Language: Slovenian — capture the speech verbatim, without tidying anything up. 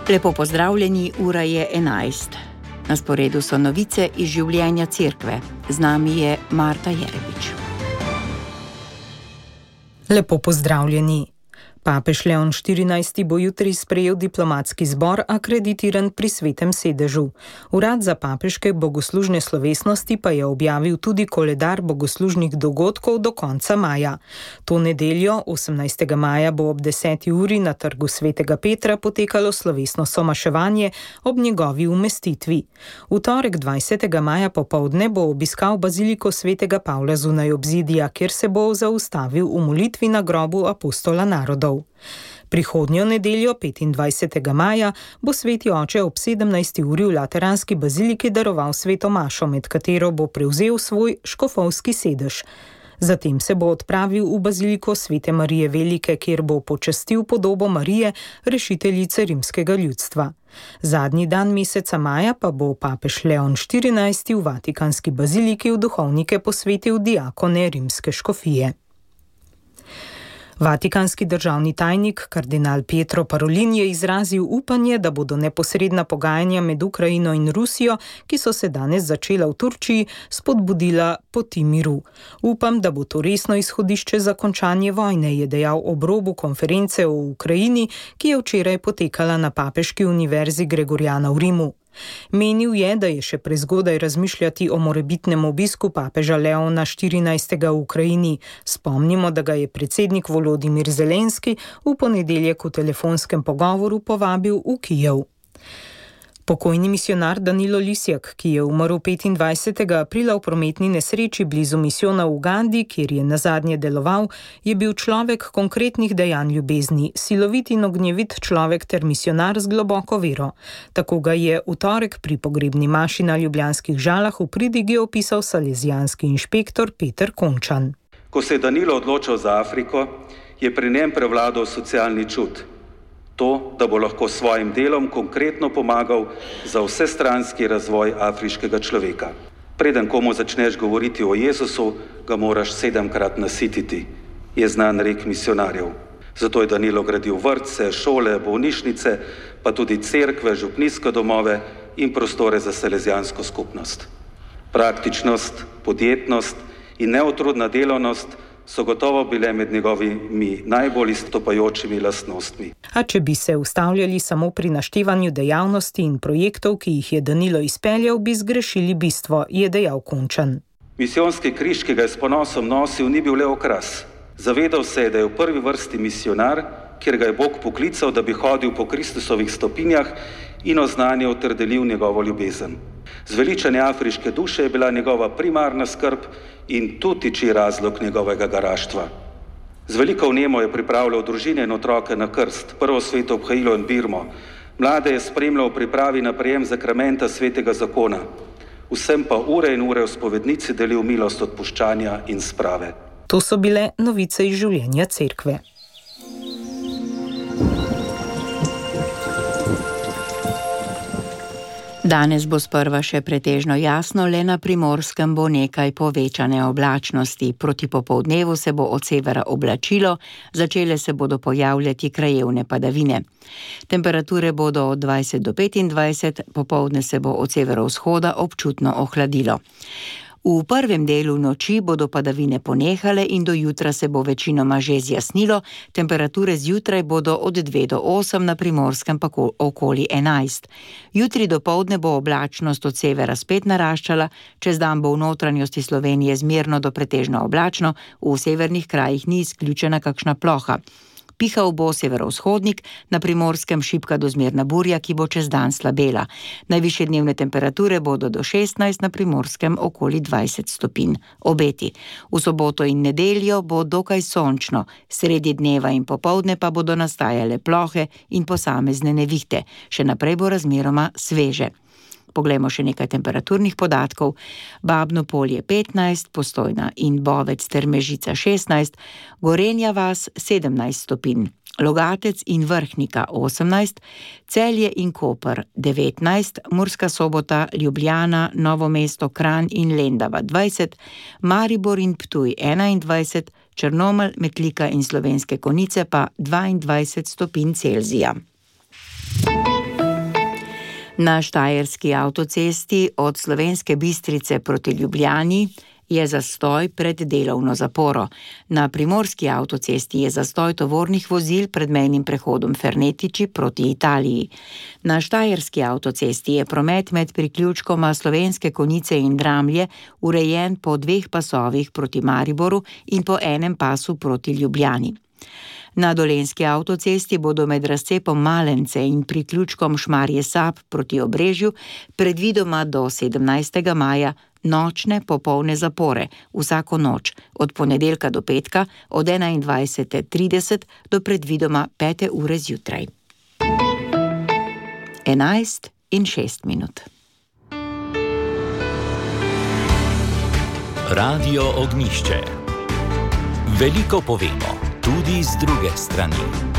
Lepo pozdravljeni, ura je enajst. Na sporedu so novice iz življenja cerkve. Z nami je Marta Jerebič. Lepo pozdravljeni. Papež Leon štirinajsti bo jutri sprejel diplomatski zbor, akreditiran pri Svetem sedežu. Urad za papeške bogoslužne slovesnosti pa je objavil tudi koledar bogoslužnih dogodkov do konca maja. To nedeljo, osemnajstega maja, bo ob deseti uri na trgu Svetega Petra potekalo slovesno somaševanje ob njegovi umestitvi. V torek dvajsetega maja popoldne bo obiskal baziliko Svetega Pavla zunaj obzidja, kjer se bo zaustavil v molitvi na grobu apostola narodov. Prihodnjo nedeljo, petindvajsetega maja, bo sveti oče ob sedemnajsti uri v Lateranski baziliki daroval sveto mašo, med katero bo prevzel svoj škofovski sedež. Zatem se bo odpravil v baziliko Svete Marije Velike, kjer bo počastil podobo Marije, rešiteljice rimskega ljudstva. Zadnji dan meseca maja pa bo papež Leon štirinajsti v Vatikanski baziliki v duhovnike posvetil diakone rimske škofije. Vatikanski državni tajnik kardinal Pietro Parolin je izrazil upanje, da bodo neposredna pogajanja med Ukrajino in Rusijo, ki so se danes začela v Turčiji, spodbudila poti miru. Upam, da bo to resno izhodišče za končanje vojne, je dejal ob robu konference o Ukrajini, ki je včeraj potekala na Papeški univerzi Gregoriana v Rimu. Menil je, da je še prezgodaj razmišljati o morebitnem obisku papeža Leona štirinajstega v Ukrajini. Spomnimo, da ga je predsednik Volodimir Zelenski v ponedeljek v telefonskem pogovoru povabil v Kijev. Pokojni misijonar Danilo Lisjak, ki je umrl petindvajsetega aprila v prometni nesreči blizu misijona v Ugandi, kjer je nazadnje deloval, je bil človek konkretnih dejanj ljubezni, silovit in ognjevit človek ter misijonar z globoko vero. Tako ga je v torek pri pogrebni maši na ljubljanskih Žalah v pridigi opisal salezijanski inšpektor Peter Končan. Ko se je Danilo odločil za Afriko, je pri njem prevladal socialni čut. To, da bo lahko s svojim delom konkretno pomagal za vsestranski razvoj afriškega človeka. Preden komu začneš govoriti o Jezusu, ga moraš sedemkrat nasititi, je znan rek misionarjev. Zato je Danilo gradil vrtce, šole, bolnišnice, pa tudi cerkve, župnijske domove in prostore za salezijansko skupnost. Praktičnost, podjetnost in neutrudna delovnost so gotovo bile med njegovimi najbolj izstopajočimi lastnostmi. A če bi se ustavljali samo pri naštevanju dejavnosti in projektov, ki jih je Danilo izpeljal, bi zgrešili bistvo, je dejal Končan. Misijonski križ, ki ga je s ponosom nosil, ni bil le okras. Zavedal se je, da je v prvi vrsti misijonar, kjer ga je Bog poklical, da bi hodil po Kristusovih stopinjah in oznanjal ter delil njegovo ljubezen. Zveličanje afriške duše je bila njegova primarna skrb in tu tiči razlog njegovega garaštva. Z veliko vnemo je pripravljal družine in otroke na krst, prvo sveto obhajilo in birmo. Mlade je spremljal v pripravi na prejem zakramenta svetega zakona. Vsem pa ure in ure v spovednici delil milost odpuščanja in sprave. To so bile novice iz življenja cerkve. Danes bo sprva še pretežno jasno, le na Primorskem bo nekaj povečane oblačnosti. Proti popoldnevu se bo od severa oblačilo, začele se bodo pojavljati krajevne padavine. Temperature bodo od dvajset do petindvajset, popoldne se bo od severovzhoda občutno ohladilo. V prvem delu noči bodo padavine ponehale in do jutra se bo večinoma že zjasnilo, temperature zjutraj bodo od dve do osem, na Primorskem pa okoli enajst. Jutri dopoldne bo oblačnost od severa spet naraščala, čez dan bo v notranjosti Slovenije zmerno do pretežno oblačno, v severnih krajih ni izključena kakšna ploha. Pihal bo severovzhodnik, na Primorskem šibka do zmerna burja, ki bo čez dan slabela. Najvišje dnevne temperature bodo do šestnajst, na Primorskem okoli dvajset stopinj. Obeti. V soboto in nedeljo bo dokaj sončno, sredi dneva in popoldne pa bodo nastajale plohe in posamezne nevihte. Še naprej bo razmeroma sveže. Poglejmo še nekaj temperaturnih podatkov. Babno Polje petnajst, Postojna in Bovec ter Mežica šestnajst, Gorenja vas sedemnajst stopinj, Logatec in Vrhnika osemnajst, Celje in Koper devetnajst, Murska Sobota, Ljubljana, Novo mesto, Kranj in Lendava dvajset, Maribor in Ptuj enaindvajset, Črnomelj, Metlika in Slovenske Konjice pa dvaindvajset stopinj Celzija. Na štajerski avtocesti od Slovenske Bistrice proti Ljubljani je zastoj pred delovno zaporo. Na primorski avtocesti je zastoj tovornih vozil pred mejnim prehodom Fernetiči proti Italiji. Na štajerski avtocesti je promet med priključkoma Slovenske Konjice in Dramlje urejen po dveh pasovih proti Mariboru in po enem pasu proti Ljubljani. Na dolenjski avtocesti bodo med razcepom Malence in priključkom Šmarje Sap proti Obrežju predvidoma do sedemnajstega maja nočne popolne zapore vsako noč, od ponedeljka do petka, od enaindvajsete trideset do predvidoma pete ure zjutraj. Enajst in šest minut. Radio Ognjišče. Veliko povemo, tudi z druge strani.